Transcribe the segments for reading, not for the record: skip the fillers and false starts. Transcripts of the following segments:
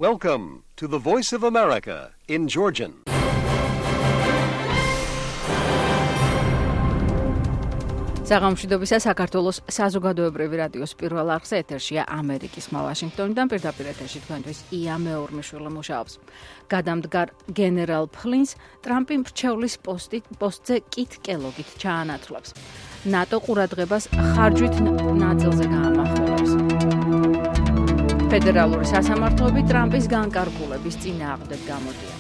Welcome to the Voice of America in Georgian. საღამოშვიდობისა საქართველოს საზოგადოებრივი რადიოს პირველ არხზე ეთერშია ამერიკის ხმა ვაშინგტონიდან პირდაპირ ეთერში თქვენთვის ია მეორმიშვილი მუშაობს. გადამდგარ გენერალ ფლინს ტრამპი მრჩევლის პოსტზე კით კელოგით ჩაანაცვლებს. ნატო ყურადღებას ხარჯვით ნაწილზე გაამახვილებს. ფედერალური სასამართლოები ტრამპის განკარგულების წინააღმდეგ გამოდიან.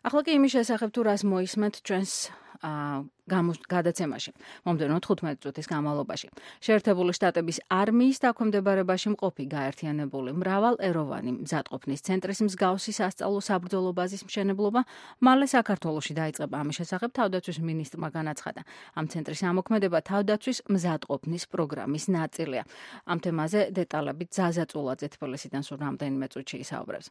ახლა კი იმის შესახებ თუ რას მოისმენთ ჩვენს გადაცემაში. მომდევნო 15 წუთის განმავლობაში. შეერთებული შტატების არმიის დაქვემდებარებაში მყოფი გაერთიანებული მრავალეროვანი მზადყოფნის ცენტრის მსგავსი სასწავლო საბრძოლო ბაზის მშენებლობა მალე საქართველოში დაიწყება. ამის შესახებ თავდაცვის მინისტრმა განაცხადა. ამ ცენტრის ამოქმედება თავდაცვის მზადყოფნის პროგრამის ნაწილია. ამ თემაზე დეტალებით ზაზა წულაძე თბილისიდან სულ რამდენიმე წუთში ისაუბრებს.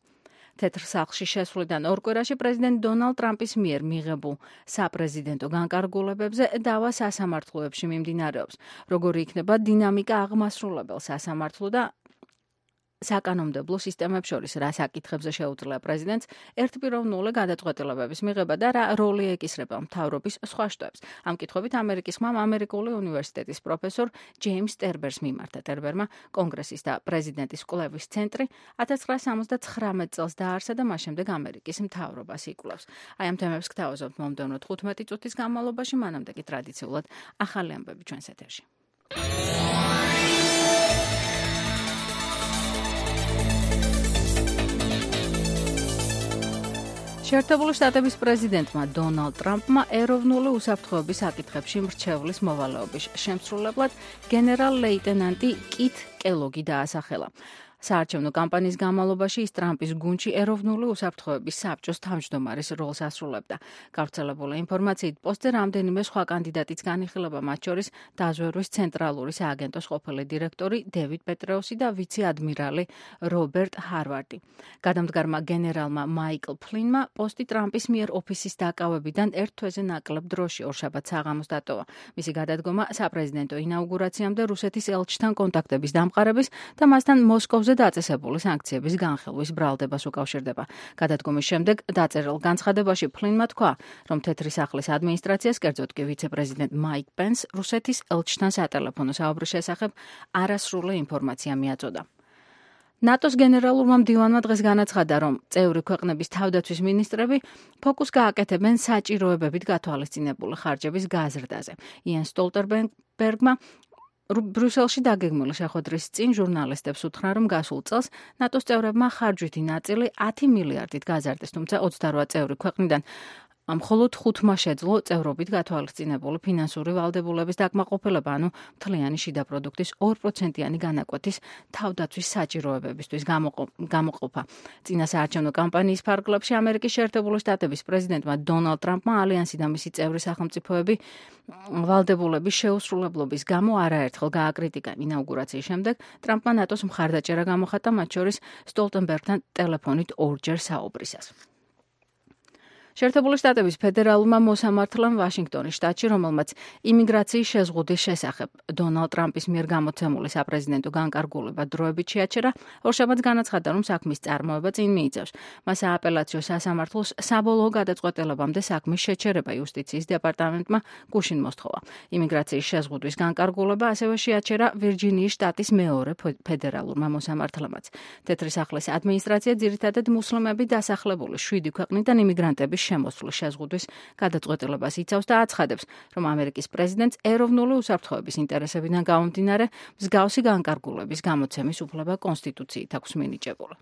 თეთრ სახლში შესვლიდან ორ კვირაში პრეზიდენტ დონალდ ტრამპის მიერ მიღებულ საპრეზიდენტო განკარგულებებზე დავა სასამართლოებში მიმდინარეობს. როგორი იქნება დინამიკა აღმასრულებელ სასამართლო და საკანონმდებლო სისტემებს შორის, რა საკითხებზე შეუძლია პრეზიდენტს ერთპიროვნული გადაწყვეტილებების მიღება და რა როლი ეკისრება მთავრობის სხვა შტოებს. ამ კითხვებით ამერიკის ხმამ ამერიკული უნივერსიტეტის პროფესორ ჯეიმს ტერბერს მიმართა. ტერბერმა კონგრესის და პრეზიდენტის კვლევის ცენტრი 1979 წელს დააარსა და მას შემდეგ ამერიკის მთავრობას იკვლევს. აი ამ თემებს გთავაზობთ მომდევნო 15 წუთის განმავლობაში, მანამდე კი ტრადიციულად ახალი ამბები ჩვენს ეთერში. შეერთებული შტატების პრეზიდენტმა დონალდ ტრამპმა ეროვნული უსაფრთხოების საკითხებში მრჩევლის მოვალეობის შემსრულებლად გენერალ-ლეიტენანტი კით კელოგი დაასახელა. საარჩევნო კამპანიის განმავლობაში ის ტრამპის გუნდში ეროვნული უსაფრთხოების საბჭოს თავმჯდომარის როლს ასრულებდა. გავრცელებული ინფორმაციით პოსტზე რამდენიმე სხვა კანდიდატიც განიხილება, მათ შორის დაზვერვის ცენტრალური სააგენტოს ყოფილი დირექტორი დევიდ პეტრეუსი და ვიცე-ადმირალი რობერტ ჰარვარდი. გადამდგარმა გენერალმა მაიკლ ფლინმა პოსტი ტრამპის მიერ ოფისის დაკავებიდან ერთ თვეზე ნაკლებ დროში ორშაბათს საღამოს დატოვა. მისი გადადგომა საპრეზიდენტო ინაუგურაციამდე რუსეთის ელჩთან კონტაქტების დამყარების და მასთან მოსკოვზე დაწესებული სანქციების განხილვის ბრალდებას უკავშირდება. გადადგომის შემდეგ დაწერილ განცხადებაში ფლინმა თქვა, რომ თეთრი სახლის ადმინისტრაციას, კერძოდ კი ვიცე-პრეზიდენტ მაიკ პენს, რუსეთის ელჩთან სატელეფონო საუბრის შესახებ არასრული ინფორმაცია მიაწოდა. ნატოს გენერალურმა მდივანმა დღეს განაცხადა, რომ წევრი ქვეყნების თავდაცვის მინისტრები ფოკუს გააკეთებენ საჭიროებებით გათვალისწინებული ხარჯების გაზრდაზე. იან სტოლტენბერგმა ბრიუსელში დაგეგმილი შეხვედრის წინ ჟურნალისტებს უთხრა, რომ გასულ წელს ნატოს წევრებმა ხარჯვითი ნაწილი 10 მილიარდით გაზარდეს, თუმცა 28 წევრი ქვეყნიდან მხოლოდ 5-მა შეძლო წევრობით გათვალისწინებული ფინანსური ვალდებულების დაკმაყოფილება, ანუ მთლიანი შიდა პროდუქტის 2%-იანი განაკვეთის თავდაცვის საჭიროებებისთვის გამოყოფა. წინა საარჩევნო კამპანიის ფარგლებში ამერიკის შეერთებული შტატების პრეზიდენტმა დონალდ ტრამპმა ალიანსი და მისი წევრი სახელმწიფოები ვალდებულების შეუსრულებლობის გამო არაერთხელ გააკრიტიკა. ინაუგურაციის შემდეგ ტრამპმა ნატოს მხარდაჭერა გამოხატა, მათ შორის სტოლტენბერგთან ტელეფონით ორჯერ საუბრისას. შეერთებული შტატების ფედერალურმა მოსამართლემ ვაშინგტონის შტატში, რომელმაც იმიგრაციის შეზღუდის შესახებ დონალდ ტრამპის მიერ გამოცემული საპრეზიდენტო განკარგულება დროებით შეაჩერა, ორშაბათს განაცხადა, რომ საქმის წარმოება წინ მიიწევს. მას სააპელაციო სასამართლოს საბოლოო გადაწყვეტილებამდე საქმის შეჩერება იუსტიციის დეპარტამენტმა გუშინ მოსთხოვა. იმიგრაციის შეზღუდვის განკარგულება ასევე შეაჩერა ვირჯინიის შტატის მეორე ფედერალურმა მოსამართლემაც. თეთრი სახლის ადმინისტრაცია ძირითადად მუსლიმები დასახლებული 7 ქვეყნიდან იმიგრანტების შემოსვლის შეზღუდვის გადაწყვეტილებას იცავს და აცხადებს, რომ ამერიკის პრეზიდენტს ეროვნული უსაფრთხოების ინტერესებიდან გამომდინარე მსგავსი განკარგულების გამოცემის უფლება კონსტიტუციით აქვს მინიჭებული.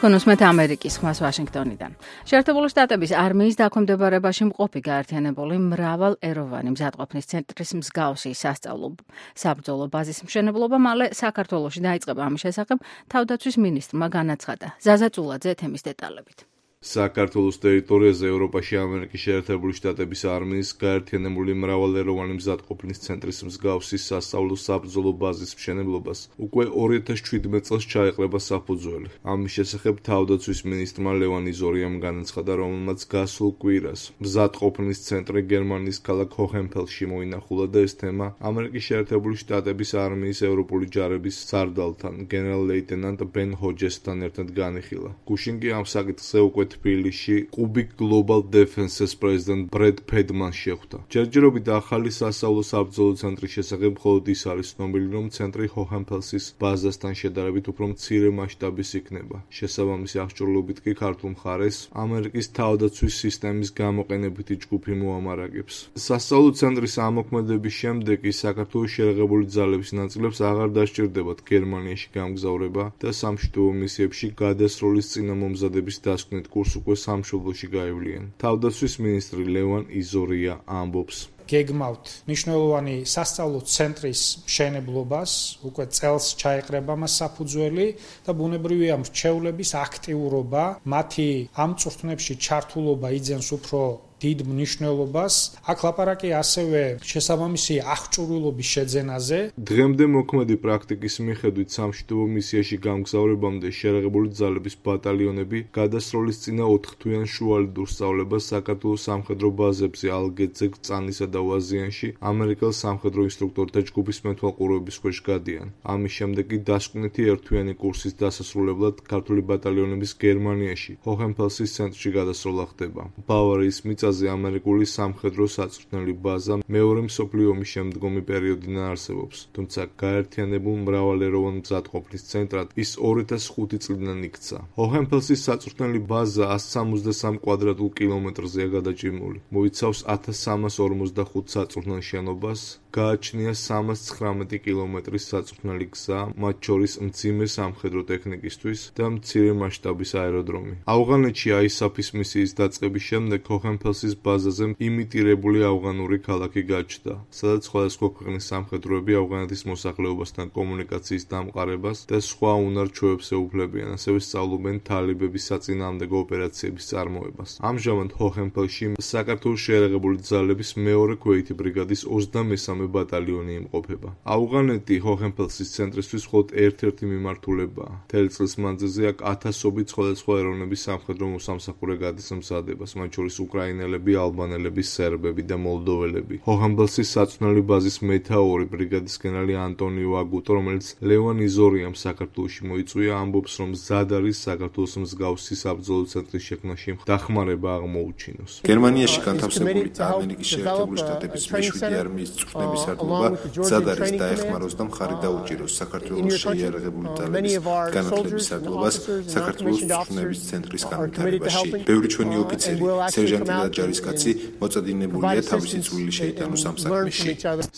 თქვენოსმეთ ამერიკის ხმას ვაშინგტონიდან. შეერთებული შტატების არმიის დაქვემდებარებაში მყოფი გაერთიანებული მრავალეროვანი მზადყოფნის ცენტრის მსგავსი სასწავლო საბრძოლო ბაზის მშენებლობა მალე საქართველოში დაიწყება. ამის შესახებ თავდაცვის მინისტრმა განაცხადა. ზაზა წულაძე თემის დეტალებით. საქართველოს ტერიტორიაზე ევროპაში ამერიკის შეერთებული შტატების არმიის გაერთიანებული მრავალეროვანი მზადყოფნის ცენტრის მსგავსი სასწავლო საბრძოლო ბაზის მშენებლობას უკვე 2017 წელს ჩაეყრება საფუძველი. ამის შესახებ თავდაცვის მინისტრმა ლევან იზორიამ განაცხადა, რომელმაც გასულ კვირას მზადყოფნის ცენტრი გერმანიის ქალაქ ჰოჰენფელსში მოინახულა და ეს თემა ამერიკის შეერთებული შტატების არმიის ევროპული ჯარების სარდალთან, გენერალ-ლეიტენანტ ბენ ჰოჯესთან ერთად განიხილა. გუშინ კი ამ საკითხზე უკვე თბილისში კუბიკ გლობალ დეფენსის პრეზიდენტ ბრედ ფედმანს შეხვდა. ჯერჯერობით ახალი სასწავლო საბრძოლო ცენტრის შესახებ მხოლოდ ის არის ცნობილი, რომ ცენტრი ჰოჰენფელსის ბაზასთან შედარებით უფრო მცირე მასშტაბის იქნება. შესაბამისი აღჭურვილობით კი ქართულ მხარეს ამერიკის თავდაცვის სისტემის გამოყენებითი ჯგუფი მოამარაგებს. სასწავლო ცენტრის ამოქმედების შემდეგ ის საქართველოს შეერთებული ძალების ნაწილებს აღარ დასჭირდებათ გერმანიაში გამგზავრება და სამშვიდობო მისიებში გადასროლის წინამომზადების დასკვნით კურს უკვე სამშობლოში გაივლიან. თავდაცვის მინისტრი ლევან იზორია ამბობს. გეგმავთ მნიშვნელოვანი სასწავლო ცენტრის მშენებლობას, უკვე წელს ჩაეყრება მას საფუძველი და ბუნებრივია მრჩევლების აქტიურობა, მათი ამ წვრთნებში ჩართულობა იძენს უფრო დიდ მნიშვნელობას. აქ ლაპარაკი ასევე შესაბამისი აღჭურვილობის შეძენაზე. დღემდე მოქმედი პრაქტიკის მიხედვით სამშვიდობო მისიაში გამგზავრებამდე შეერთებული ძალების ბატალიონები გადასროლის წინა 4 თვიან შუალედურ სწავლებას საქართველოს სამხედრო ბაზებზე ალგეთზე, კრწანისა და ვაზიანში ამერიკელ სამხედრო ინსტრუქტორთა ჯგუფის მეთვალყურეობის ქვეშ გადიან. ამის შემდეგ კი დასკვნითი ერთთვიანი კურსის დასასრულებლად ქართული ბატალიონების გერმანიაში, ჰოჰენფელსის ცენტრში გადასროლა ხდება. ბავარიის მიწაზე ამერიკული სამხედრო საწვრთნელი ბაზა მეორე მსოფლიო ომის შემდგომი პერიოდიდან არსებობს, თუმცა გაერთიანებულ მრავალეროვან მზადყოფნის ცენტრად ის 2005 წლიდან იქცა. ჰოჰენფელსის საწვრთნელი ბაზა 163 კვადრატულ კილომეტრზეა გადაჭიმული. მოიცავს 1345 საწვრთნელ შენობას, გააჩნია 319 კილომეტრის საწვრთნელი გზა, მათ შორის მძიმე სამხედრო ტექნიკისთვის და მცირე მასშტაბის აეროდრომი. ავღანეთში ISAF-ის მისიის დაწყების შემდეგ ჰოჰენფელსის ბაზაზე იმიტირებული ავღანური ქალაქი გაჩნდა, სადაც სხვადასხვა ქვეყნის სამხედროები ავღანეთის მოსახლეობასთან კომუნიკაციის დამყარებას და სხვა უნარ-ჩვევებს ეუფლებიან, ასევე სწავლობენ თალიბების საწინააღმდეგო ოპერაციების წარმოებას. ამჟამად ჰოჰენფელსში საქართველოს შეერთებული ძალების მეორე ქვეითი ბრიგადის 23 ბატალიონი იმყოფება. ავღანეთი ჰოჰენფელსის ცენტრისთვის მხოლოდ ერთ-ერთი მიმართულებაა. მთელი წლის მანძილზე აქ ათასობით სხვადასხვა ეროვნების სამხედრო მოსამსახურე გადის მზადებას, მათ შორის უკრაინელები, ალბანელები, სერბები და მოლდოველები. ჰოჰენფელსის საწვრთნელი ბაზის მეთაური ბრიგადის გენერალი ანტონიო აგუტო, რომელიც ლევან იზორიამ საქართველოში მოიწვია, ამბობს, რომ მზად არის საქართველოს მსგავსი საბრძოლო ცენტრის შექმნაში დახმარება აღმოუჩინოს. გერმანიაში განთავსებული ამერიკის შეერთებული შტატების მეშვიდე არმიის წვრთნების სარდლობა მზად არის დაეხმაროს და მხარი დაუჭიროს საქართველოს შეიარაღებული ძალების განათლების სარდლობას საქართველოს წვრთნების ცენტრის განვითარებაში. ბევრი ჩვენი ოფიცერი, სერჟანტი და ჯარისკაცი მოწადინებულია თავისი წვლილი შეიტანოს ამ საქმეში.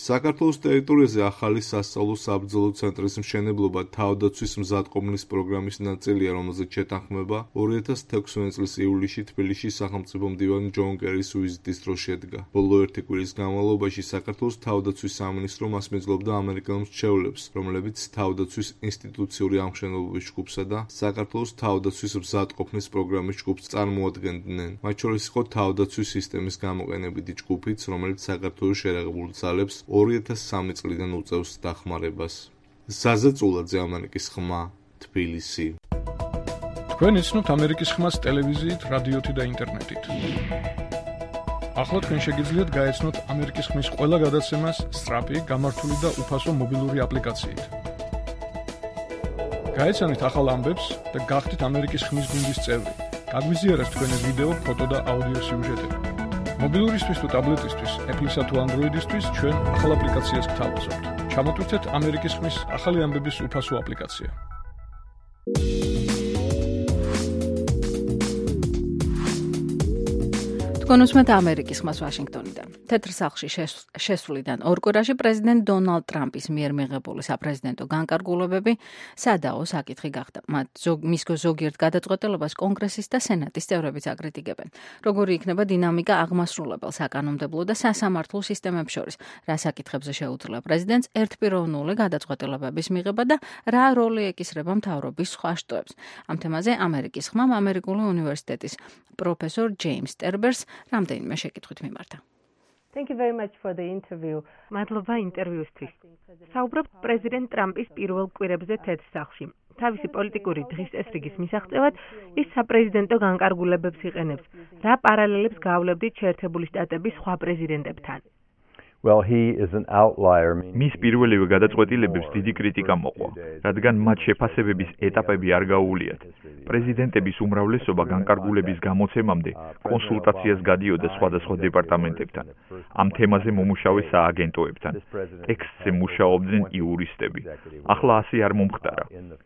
საქართველოს ტერიტორიაზე ახალი სასწავლო საბრძოლო ცენტრის მშენებლობა თავდაცვის მზადყოფნის პროგრამის ნაწილია, რომელზეც შეთანხმება 2016 წლის ივლისში თბილისში სახელმწიფო მდივანი ჯონ კერის ვიზიტის დროს შედგა. ბოლო ერთი კვირის განმავლობაში საქართველოს თავდაცვის სამინისტრო მას მიძლობდა ამერიკელ მრჩევლებს, რომლებიც თავდაცვის ინსტიტუციური ამშენებლობის ჯგუფსა და საქართველოს თავდაცვის მზადყოფნის პროგრამის ჯგუფს წარმოადგენდნენ. მათ შორის იყო თავდაცვის სისტემის გამოყენებითი ჯგუფიც, რომელიც საქართველოს შეერთებულ ძალებს 2003 წლიდან უწევს დახმარებას. ზაზა წულაძე, ამერიკის ხმა, თბილისი. თქვენ იცნობთ ამერიკის ხმას ტელევიზიით, რადიოთი და ინტერნეტით. ახლა თქვენ შეგიძლიათ გაეცნოთ ამერიკის ხმის ყველა გადაცემას სწრაფი, გამართული და უფასო მობილური აპლიკაციით. გაეცანით ახალ ამბებს და გახდით ამერიკის ხმის გუნდის წევრი. გაგვიზიარეთ თქვენი ვიდეო, ფოტო და აუდიო სიუჟეტები. მობილურისთვის თუ ტაბლეტისთვის, Apple-ისა თუ Android-ისთვის ჩვენ ახალ აპლიკაციას გთავაზობთ. ჩამოტვირთეთ ამერიკის ხმის ახალი ამბების უფასო აპლიკაცია. თქვენ უსმენთ ამერიკის ხმას ვაშინგტონიდან. თეთრ სახლში შესვლიდან ორ კვირაში პრეზიდენტ დონალდ ტრამპის მიერ მიღებული საპრეზიდენტო განკარგულებები სადაო საკითხი გახდა. მის ზოგიერთ გადაწყვეტილებას კონგრესის და სენატის წევრებიც აკრიტიკებენ. Როგორი იქნება დინამიკა აღმასრულებელ საკანონმდებლო და სასამართლო სისტემებს შორის, რა საკითხებზე შეუძლია პრეზიდენტს ერთპიროვნული გადაწყვეტილებების მიღება და რა როლი ეკისრება მთავრობის სხვა შტოებს. ამ თემაზე ამერიკის ხმამ ამერიკული უნივერსიტეტის პროფესორ ჯეიმს ტერბერს რამდენიმე შეკითხვით მიმართა. Thank you very much for the interview. მადლობა ინტერვიუსთვის. საუბრობთ პრეზიდენტ ტრამპის პირველ კვირებზე თეთრ სახლში. თავისი პოლიტიკური დღის წესრიგის მისაღწევად ის საპრეზიდენტო განკარგულებებს იყენებს. რა პარალელებს გავლებდით შეერთებული შტატების სხვა პრეზიდენტებთან? Well, he is an outlier. მის პირველივე გადაწყვეტილებებს დიდი კრიტიკა მოყვა, რადგან მათ შეფასებების ეტაპები არ გაუვლიათ. პრეზიდენტების უმრავლესობა განკარგულების გამოცემამდე კონსულტაციას გადიოდა სხვადასხვა დეპარტამენტებთან. ამ თემაზე მომუშავე სააგენტოებთან. ტექსტზე მუშაობდნენ იურისტები. ახლა ასე არ მომხდარა.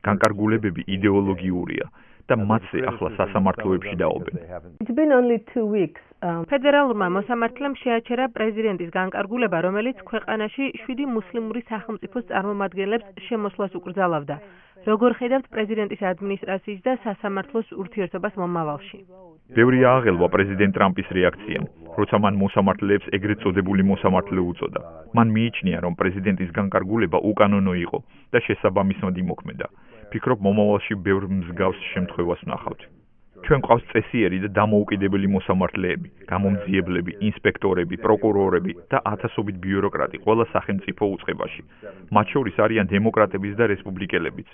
განკარგულებები იდეოლოგიურია და მათზე ახლა სასამართლოებში დაობენ. It's been only 2 weeks. ფედერალურმა მოსამართლემ შეაჩერა პრეზიდენტის განკარგულება, რომელიც ქვეყანაში 7 მუსლიმური სახელმწიფოს წარმომადგენლებს შემოსვლას უკრძალავდა. როგორ ხედავთ პრეზიდენტის ადმინისტრაციის და სასამართლოს ურთიერთობას მომავალში? ბევრი აღელვა პრეზიდენტ ტრამპის რეაქციამ, როცა მან მოსამართლეებს ეგრეთ წოდებული მოსამართლე უწოდა. მან მიიჩნია, რომ პრეზიდენტის განკარგულება უკანონო იყო და შესაბამისად იმოქმედა. ფიქრობ, მომავალში ბევრ მსგავს შემთხვევას ვნახავთ. ჩვენ ყავს წესიერი და დამოუკიდებელი მოსამართლეები, გამომძიებლები, ინსპექტორები, პროკურორები და ათასობით ბიუროკრატი ყველა სახელმწიფო უწყებაში. მათ შორის არიან დემოკრატებიც და რესპუბლიკელებიც.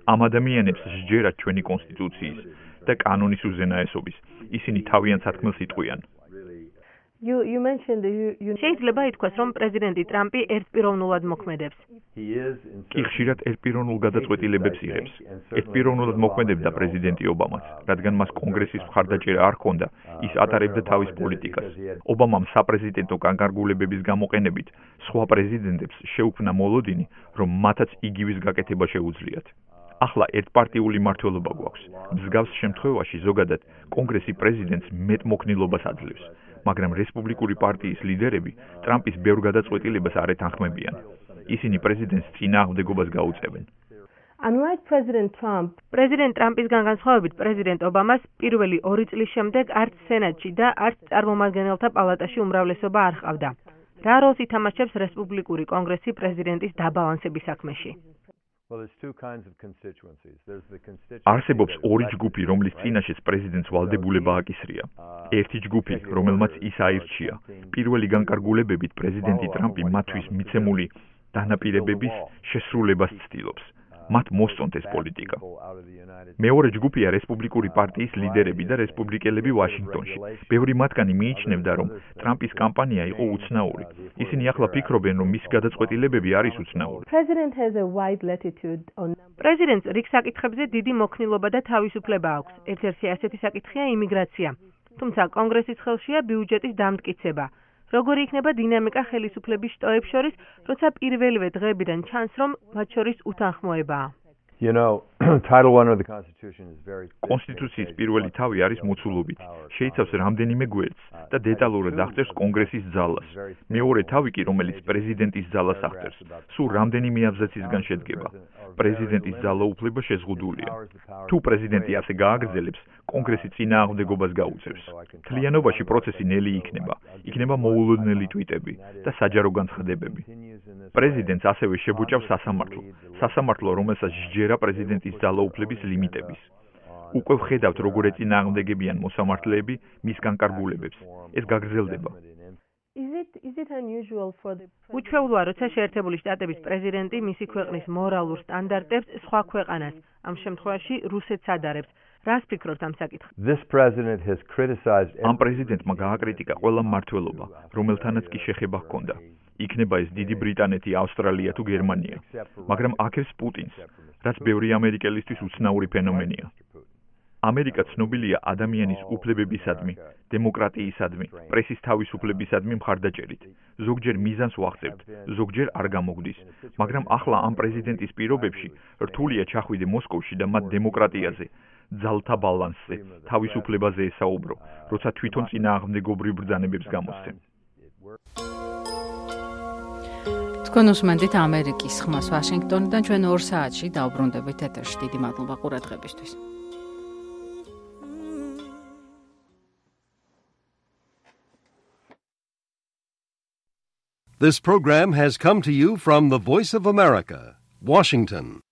ამ ადამიანებს სჯერათ ჩვენი კონსტიტუციის და კანონის უზენაესობის. ისინი თავიანთ სათქმელს იტყვიან. You mentioned შეიძლება ითქვას, რომ პრეზიდენტი ტრამპი ერთპიროვნულად მოქმედებს. კი ხშირად ერთპიროვნულ გადაწყვეტილებებს იღებს. ერთპიროვნულად მოქმედებდა პრეზიდენტი ობამაც, რადგან მას კონგრესის მხარდაჭერა არ ჰქონდა, ის ატარებდა თავის პოლიტიკას. ობამამ საპრეზიდენტო განკარგულებების გამოყენებით სხვა პრეზიდენტებს შეუქმნა მოლოდინი, რომ მათაც იგივის გაკეთება შეუძლიათ. ახლა ერთპარტიული მმართველობა გვაქვს. მსგავს შემთხვევაში ზოგადად კონგრესი პრეზიდენტს მეტმოქნილობას აძლევს. მაგრამ რესპუბლიკური პარტიის ლიდერები ტრამპის ბევრ გადაწყვეტილებას არ ეთანხმებიან. ისინი პრეზიდენტს წინააღმდეგობას გაუწევენ. Unlike President Trump, პრეზიდენტ ტრამპისგან განსხვავებით, პრეზიდენტ ობამას პირველი 2 წლის შემდეგ არც სენატში და არც წარმომადგენელთა პალატაში უმრავლესობა არ ჰყავდა. რა როლს ითამაშებს რესპუბლიკური კონგრესი პრეზიდენტის დაბალანსების საქმეში? არსებობს ორი ჯგუფი, რომლის წინაშეც პრეზიდენტს ვალდებულება აკისრია. ერთი ჯგუფი, რომელმაც ის აირჩია. პირველი განკარგულებებით პრეზიდენტი ტრამპი მათთვის მიცემული დანაპირებების შესრულებას ცდილობს. მათ მოსწონთ ეს პოლიტიკა. მეორე ჯგუფია რესპუბლიკური პარტიის ლიდერები და რესპუბლიკელები ვაშინგტონში. ბევრი მათგანი მიიჩნევდა, რომ ტრამპის კამპანია იყო უცნაური. ისინი ახლა ფიქრობენ, რომ მისი გადაწყვეტილებები არის უცნაური. პრეზიდენტს რიგ საკითხებზე დიდი მოქნილობა და თავისუფლება აქვს. ერთ-ერთი ასეთი საკითხია იმიგრაცია. თუმცა კონგრესის ხელშია ბიუჯეტის დამტკიცება. როგორი იქნება დინამიკა ხელისუფლების შტოებს შორის, როცა პირველივე დღეებიდან ჩანს, რომ მათ შორის უთანხმოებაა? კონსტიტუციის პირველი თავი არის მოცულობითი. შეიცავს რამდენიმე გვერდს და დეტალურად აღწერს კონგრესის ძალას. მეორე თავი კი, რომელიც პრეზიდენტის ძალას აღწერს, სულ რამდენიმე აბზაცისგან შედგება. პრეზიდენტის ძალაუფლება შეზღუდულია. თუ პრეზიდენტი ასე გააგრძელებს, კონგრესი წინააღმდეგობას გაუწევს. მთლიანობაში პროცესი ნელი იქნება. იქნება მოულოდნელი ტვიტები და საჯარო განცხადებები. პრეზიდენტს ასევე შებუჭავს სასამართლო. სასამართლო, რომელსაც სჯერა პრეზიდენტის ძალაუფლების ლიმიტების. უკვე ვხედავთ, როგორ ეწინააღმდეგებიან მოსამართლეები მის განკარგულებებს. ეს გაგრძელდება. უჩვეულოა, როცა შეერთებული შტატების პრეზიდენტი მისი ქვეყნის მორალურ სტანდარტებს სხვა ქვეყანას, ამ შემთხვევაში რუსეთს ადარებს. რას ფიქრობთ ამ საკითხზე? ამ პრეზიდენტმა გააკრიტიკა ყველა მმართველობა, რომელთანაც კი შეხება ჰქონდა. იქნება ეს დიდი ბრიტანეთი, ავსტრალია თუ გერმანია. მაგრამ აქებს პუტინს, რაც ბევრი ამერიკელისთვის უცნაური ფენომენია. ამერიკა ცნობილია ადამიანის უფლებებისადმი, დემოკრატიისადმი, პრესის თავისუფლებისადმი მხარდაჭერით. ზოგჯერ მიზანს ვახცევთ, ზოგჯერ არ გამოგვდის. მაგრამ ახლა ამ პრეზიდენტის პირობებში რთულია ჩახვიდე მოსკოვში და მათ დემოკრატიაზე, ძალთა ბალანსზე, თავისუფლებაზე ესაუბრო, როცა თვითონ წინააღმდეგობრივ ბრძანებებს გამოსცემ. თქვენ უსმენთ ამერიკის ხმას ვაშინგტონიდან, ჩვენ 2 საათში დავბრუნდებით ეთერში. დიდი მადლობა ყურადღებისთვის. This program has come to you from the Voice of America, Washington.